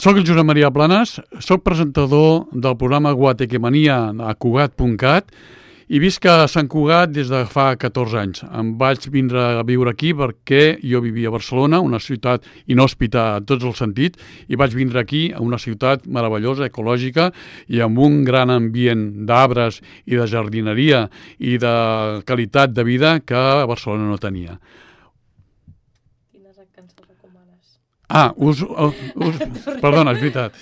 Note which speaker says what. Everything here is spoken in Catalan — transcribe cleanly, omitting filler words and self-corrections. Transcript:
Speaker 1: Soc el Josep Maria Planas, soc presentador del programa Guatequemania a Cugat.cat i visc a Sant Cugat des de fa 14 anys. Em vaig vindre a viure aquí perquè jo vivia a Barcelona, una ciutat inhòspita en tots els sentits, i vaig vindre aquí a una ciutat meravellosa, ecològica, i amb un gran ambient d'arbres i de jardineria i de qualitat de vida que a Barcelona no tenia.
Speaker 2: Quines cançons recomanes?
Speaker 1: Perdona, és veritat.